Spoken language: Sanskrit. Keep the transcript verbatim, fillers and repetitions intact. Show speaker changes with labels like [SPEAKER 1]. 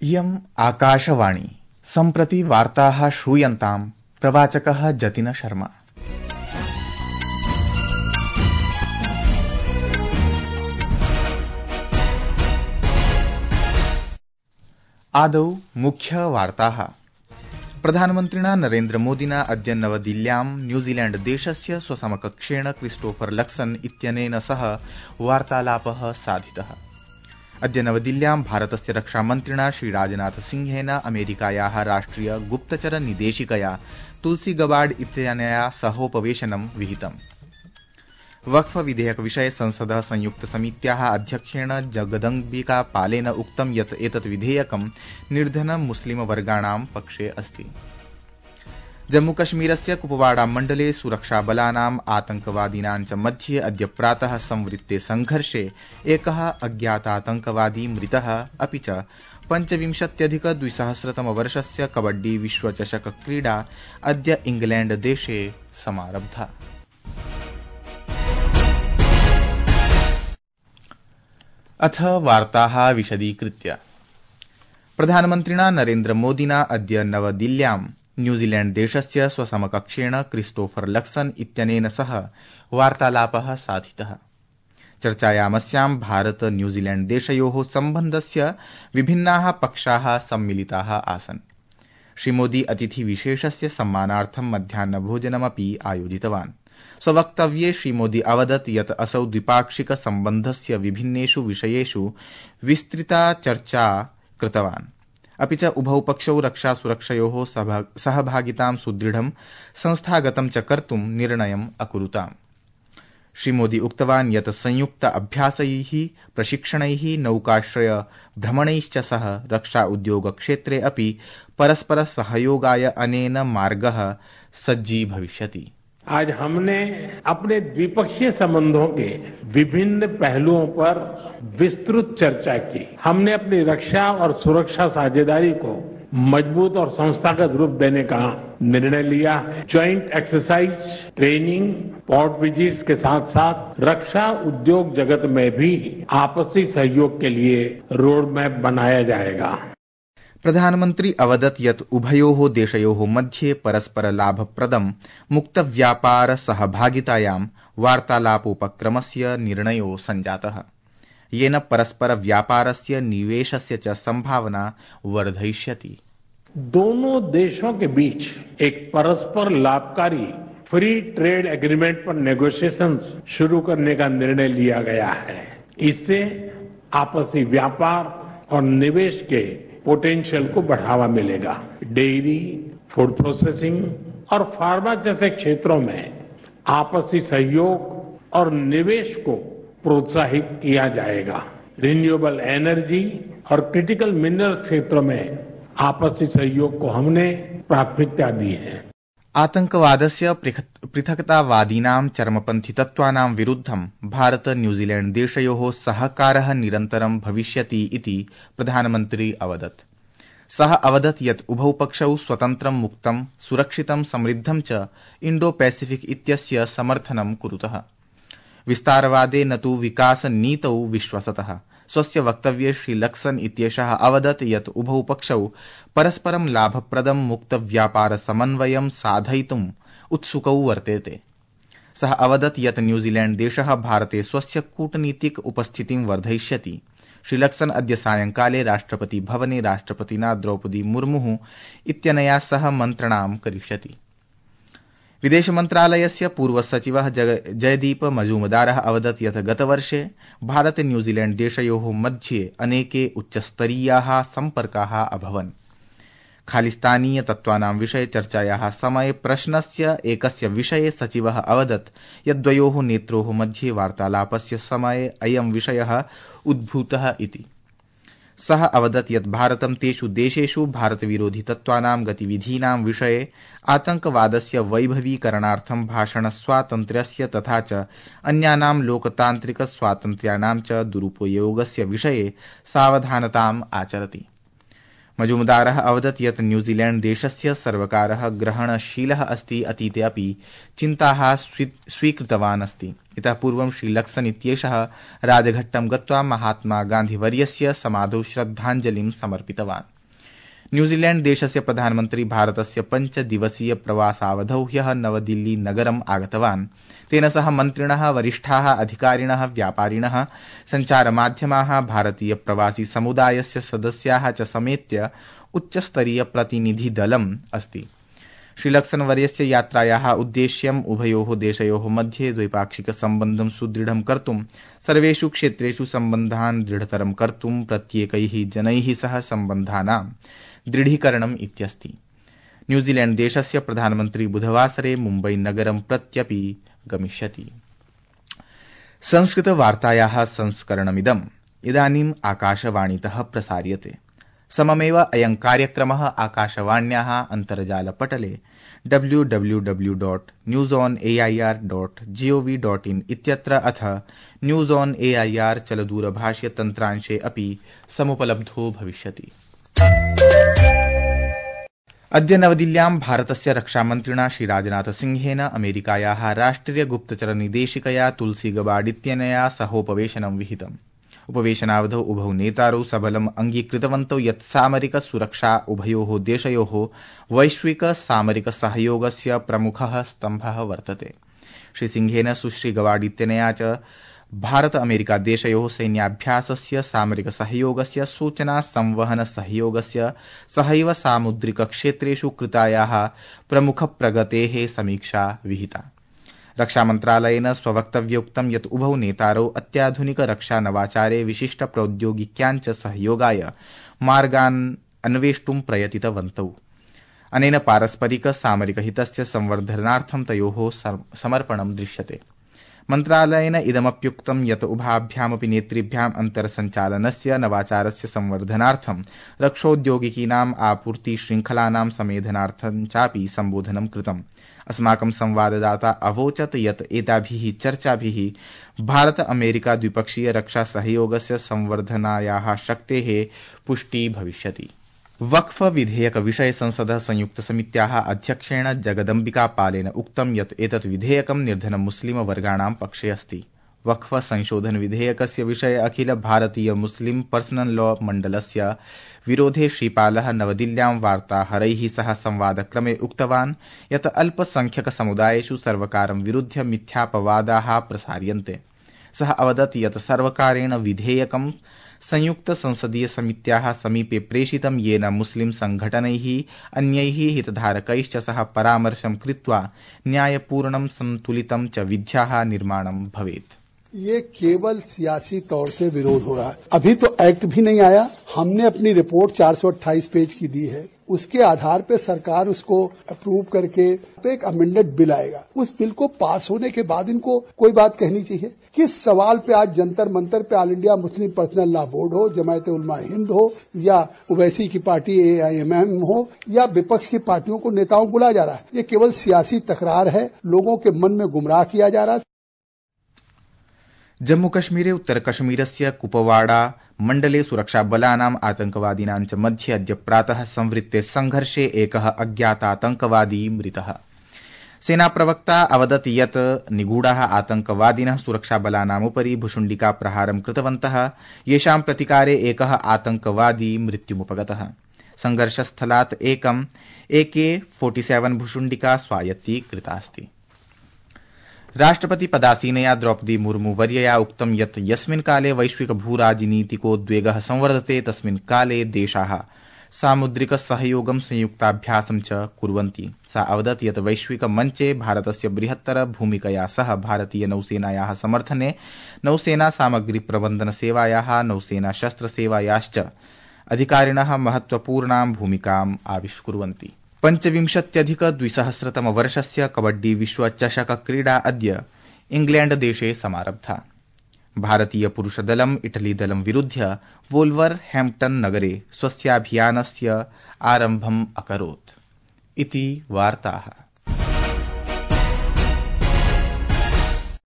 [SPEAKER 1] इयम् आकाशवाणी सम्प्रति वार्ताः श्रूयन्ताम् प्रवाचकः जतिन शर्मा। आदौ मुख्यवार्ताः। प्रधानमन्त्रिणा नरेन्द्रमोदिना अद्य नवदिल्ल्यां न्यूजीलैण्ड देशस्य स्वसमकक्षेण क्रिस्टोफर लक्सन इत्यनेन सह वार्तालापः साधितः। अद्य नवदिल्ल्यां भारतस्य रक्षामन्त्रिणा श्रीराजनाथ सिंहेन अमेरिकायाः राष्ट्रिय गुप्तचर निदेशिकया तुलसी गबार्ड इत्यनया सहोपवेशनं विहितम्। वक्फ विधेयक विषये संसदः संयुक्त समित्याः अध्यक्षेण जगदम्बिका पालेन उक्तं यत् एतत् विधेयकं निर्धन मुस्लिम वर्गाणां पक्षे अस्ति। जम्मूकश्मीरस्य कुपवाड़ा मण्डले सुरक्षाबलानाम् आतंकवादिनां च मध्ये अद्य प्रातः संवृत्ते संघर्षे एकः अज्ञातातंकवादी मृतः, अपि च पञ्चविंशत्यधिक द्विसहस्रतमवर्षस्य कबड्डी विश्वचषक क्रीडा अद्य इंग्लैण्ड देशे समारब्धा। अथ वार्ताः विशदीकृत्य। प्रधानमन्त्रिणा नरेन्द्रमोदिना अद्य नवदिल्ल्यां न्यूजीलैण्ड देशस्य स्वसमकक्षेण क्रिस्टोफर लक्सन इत्यनेन सह वार्तालापः साधितः। चर्चायामस्यां भारत न्यूजीलैण्ड देशयोः सम्बन्धस्य विभिन्नाः पक्षाः सम्मिलिताः आसन्। श्रीमोदी अतिथिविशेषस्य सम्मानार्थं मध्याह्नभोजनमपि आयोजितवान्। स्ववक्तव्ये श्रीमोदी अवदत् यत् असौ द्विपाक्षिक सम्बन्धस्य विभिन्नेषु विषयेषु विस्तृता चर्चा कृतवान्, अपि च उभौ पक्षौ रक्षासुरक्षयोः सहभागितां सुदृढं संस्थागतं च कर्तुं निर्णयम् अकुरुताम्। श्रीमोदी उक्तवान् यत् संयुक्त अभ्यासैः, प्रशिक्षणैः, नौकाश्रय भ्रमणैश्च सह रक्षा उद्योग क्षेत्रे अपि परस्पर सहयोगाय अनेन मार्गः सज्जी भविष्यति।
[SPEAKER 2] आज हमने अपने द्विपक्षीय संबंधों के विभिन्न पहलुओं पर विस्तृत चर्चा की। हमने अपनी रक्षा और सुरक्षा साझेदारी को मजबूत और संस्थागत रूप देने का निर्णय लिया है। Joint exercise, training, port visits के साथ साथ रक्षा उद्योग जगत में भी आपसी सहयोग के लिए रोड मैप बनाया जाएगा।
[SPEAKER 1] प्रधानमन्त्री अवदत् यत् उभयोः देशयोः मध्ये परस्पर लाभप्रदं मुक्तव्यापार सहभागितायां वार्तालापोपक्रमस्य निर्णयो सञ्जातः, येन परस्पर व्यापारस्य निवेशस्य च संभावना वर्धयिष्यति।
[SPEAKER 2] दोनों देशों के बीच एक परस्पर लाभकारी फ्री ट्रेड एग्रीमेंट पर नेगोशिएशंस शुरू करने का निर्णय लिया गया है। इससे आपसी व्यापार और निवेश के पोटेंशियल को बढ़ावा मिलेगा। डेयरी, फूड प्रोसेसिंग और फार्मा जैसे क्षेत्रों में आपसी सहयोग और निवेश को प्रोत्साहित किया जाएगा। रिन्यूएबल एनर्जी और क्रिटिकल मिनरल क्षेत्रों में आपसी सहयोग को हमने प्राथमिकता दी है।
[SPEAKER 1] आतंकवादस्य पृथक्तावादीनां चरमपन्थी तत्त्वानां विरुद्धं भारत न्यूजीलैण्ड देशयोः सहकारः निरन्तरं भविष्यति इति प्रधानमन्त्री अवदत्। सः अवदत् यत् उभौ पक्षौ स्वतन्त्रं, मुक्तं, सुरक्षितं, समृद्धं च इण्डो पैसिफिक इत्यस्य समर्थनं कुरुतः। विस्तारवादे न तु विकासनीतौ विश्वसतः। स्वस्य वक्तव्ये श्री लक्सन इत्येषः अवदत् यत् उभौ पक्षौ परस्परं लाभप्रदं मुक्तव्यापार समन्वयं साधयितुम् उत्सुकौ वर्तेते। सः अवदत् यत् न्यूजीलैण्ड देशः भारते स्वस्य कूटनीतिक उपस्थितिं वर्धयिष्यति। श्री लक्सन अद्य सायंकाले राष्ट्रपति भवने राष्ट्रपतिना द्रौपदी मुर्मुः इत्यनया सह मन्त्रणां करिष्यति। विदेश मन्त्रालयस्य पूर्वसचिवः जयदीप मजूमदारः अवदत् यत् गतवर्षे भारत न्यूजीलैण्ड देशयोः मध्ये अनेके उच्चस्तरीयाः सम्पर्काः अभवन्। खालिस्तानीय तत्त्वानां विषये चर्चायाः समये प्रश्नस्य एकस्य विषये सचिवः अवदत् यत् द्वयोः नेत्रोः मध्ये वार्तालापस्य समये अयं विषयः उद्भूतः इति। सः अवदत् यत् भारतं तेषु देशेषु भारतविरोधि तत्त्वानां गतिविधीनां विषये, आतंकवादस्य वैभवीकरणार्थं भाषणस्वातन्त्र्यस्य तथा च अन्यानां लोकतान्त्रिक स्वातन्त्र्याणां च दुरुपयोगस्य विषये सावधानताम् आचरति। मजुमदारः अवदत् यत् न्यूजीलैण्ड देशस्य सर्वकारः ग्रहणशीलः अस्ति अतीते अपि चिन्ताः स्वीकृतवान् अस्ति। इतः पूर्वं श्रीलक्सन इत्येषः राजघट्टं गत्वा महात्मा गान्धीवर्यस्य समाधौ श्रद्धाञ्जलिं समर्पितवान्। न्यूजीलैण्ड देशस्य प्रधानमन्त्री भारतस्य पञ्चदिवसीय प्रवासावधौ ह्यः नवदिल्ली नगरम् आगतवान्। तेन सह मन्त्रिणः, वरिष्ठाः अधिकारिणः, व्यापारिणः, सञ्चारमाध्यमाः, भारतीय प्रवासी समुदायस्य सदस्याः च समेत्य उच्चस्तरीय प्रतिनिधिदलम् अस्ति। श्रीलक्सनवर्यस्य यात्रायाः उद्देश्यम् उभयोः देशयोः मध्ये द्वैपाक्षिक सम्बन्धं सुदृढं कर्तुं, सर्वेषु क्षेत्रेषु सम्बन्धान् दृढतरं कर्तुं, प्रत्येकैः जनैः सह सम्बन्धानां दृढीकरणम् इत्यस्ति। न्यूजीलैण्ड देशस्य प्रधानमन्त्री बुधवासरे मुम्बई नगरं प्रत्यपि गमिष्यति। संस्कृतवार्तायाः संस्करणमिदम् इदानीम् आकाशवाणीतः प्रसार्यते। सममेव अयं कार्यक्रमः आकाशवाण्याः अन्तर्जालपटले W W W dot news on A I R dot GOV dot in इत्यत्र अथ news on A I R चलदूरभाष्य तन्त्रांशे अपि समुपलब्धो भविष्यति। अद्य नवदिल्ल्यां भारतस्य रक्षामन्त्रिणा श्रीराजनाथसिंहेन अमेरिकायाः राष्ट्रिय गुप्तचर निदेशिकया तुलसी गबार्ड इत्यनया सहोपवेशनं विहितम्। उपवेशनावधौ उभौ नेतारौ सबलम् अङ्गीकृतवन्तौ यत् सामरिक सुरक्षा उभयोः देशयोः वैश्विक सामरिक सहयोगस्य प्रमुखः स्तम्भः वर्तते। श्रीसिंहेन सुश्री गबार्ड इत्यनया च भारत अमेरिका देशयोः सैन्याभ्यासस्य, सामरिक सहयोगस्य, सूचना संवहन सहयोगस्य, सहैव सामुद्रिक क्षेत्रेषु कृतायाः प्रमुख प्रगतेः समीक्षा विहिता। रक्षामन्त्रालयेन स्ववक्तव्ये उक्तं यत् उभौ नेतारौ अत्याधुनिक रक्षा नवाचारे विशिष्ट प्रौद्योगिक्यां च सहयोगाय मार्गान् अन्वेष्टुं प्रयतितवन्तौ। अनेन पारस्परिक सामरिक हितस्य संवर्धनार्थं तयोः समर्पणं दृश्यते। मन्त्रालयेन इदमप्युक्तं यत् उभाभ्यामपि नेतृभ्याम् अन्तर्सञ्चालनस्य, नवाचारस्य संवर्धनार्थं, रक्षोद्योगिकीनाम् आपूर्ति श्रृङ्खलानां समेधनार्थं चापि सम्बोधनं कृतम्। अस्माकं संवाददाता अवोचत् यत् एताभिः चर्चाभिः भारत अमेरिका द्विपक्षीय रक्षा सहयोगस्य संवर्धनायाः शक्तेः पुष्टि भविष्यति। वक्फ विधेयक विषये संसदः संयुक्त समित्याः अध्यक्षेण जगदम्बिका पालेन उक्तं यत् एतत् विधेयकं निर्धन मुस्लिम वर्गाणां पक्षे अस्ति। वक्फ संशोधन विधेयकस्य विषये अखिल भारतीय मुस्लिम पर्सनल लॉ मण्डलस्य विरोधे श्रीपालः नवदिल्ल्यां वार्ताहरैः सह संवादक्रमे उक्तवान् यत् अल्पसंख्यक समुदायेषु सर्वकारं विरुध्य मिथ्यापवादाः प्रसार्यन्ते। सः अवदत् यत् सर्वकारेण विधेयकं संयुक्त संसदीय समित्याः समीपे प्रेषितं, येन मुस्लिम संघटनैः, अन्यैः हितधारकैश्च सह परामर्शं कृत्वा न्यायपूर्णं संतुलितं च विध्याः निर्माणं भवेत्।
[SPEAKER 3] ये केवल सियासी तौर से विरोध हो रहा है। अभी तो एक्ट भी नहीं आया। हमने अपनी रिपोर्ट चार सौ अट्ठाईस पेज की दी है। उसके आधार पे सरकार उसको अप्रूव करके एक अमेंडेड बिल आएगा। उस बिल को पास होने के बाद इनको कोई बात कहनी चाहिए। किस सवाल पे आज जंतर मंतर पे All India Muslim Personal Law Board हो, जमायत उलमा हिंद हो, या ओवैसी की party A I M M हो, या विपक्ष की पार्टियों को नेताओं को बुलाया जा रहा है। ये केवल सियासी तकरार है। लोगों के मन में गुमराह किया जा रहा है।
[SPEAKER 1] जम्मूकश्मीरे उत्तरकश्मीरस्य कुपवाड़ा मण्डले सुरक्षाबलानाम् आतंकवादिनां च मध्ये अद्य प्रातः संवृत्ते संघर्षे एकः अज्ञातातंकवादी मृतः। सेनाप्रवक्ता अवदत् यत् निगूढाः आतंकवादिनः सुरक्षाबलानामुपरि भुशुण्डिका प्रहारं कृतवन्तः, येषां प्रतिकारे एकः आतंकवादी मृत्युमुपगतः। संघर्षस्थलात् एकम् ए के सैंतालीस भुशुण्डिका स्वायत्तीकृतास्ति। राष्ट्रपति पदासीनया द्रौपदी मुर्मू वर्यया उक्तं यत् यस्मिन् काले वैश्विक भूराजनीतिकोद्वेगः संवर्धते तस्मिन् काले देशाः सामुद्रिक सहयोगं संयुक्ताभ्यासं च कुर्वन्ति। सा अवदत् यत् वैश्विक मञ्चे भारतस्य बृहत्तर भूमिकया सह भारतीय नौसेनायाः समर्थने, नौसेना सामग्री प्रबन्धन सेवायाः, नौसेना शस्त्रसेवायाश्च अधिकारिणः महत्वपूर्णां भूमिकाम् आविष्कुर्वन्ति। पञ्चविंशत्यधिक द्विसहस्रतम वर्षस्य कबड्डी विश्व चषक क्रीडा अद्य इंग्लैण्ड देशे समारब्धा। भारतीय पुरुषदलम् इटलीदलं विरुध्य वोल्वर हैम्प्टन् नगरे स्वस्याभियानस्य आरम्भम् अकरोत्। इति वार्ताः।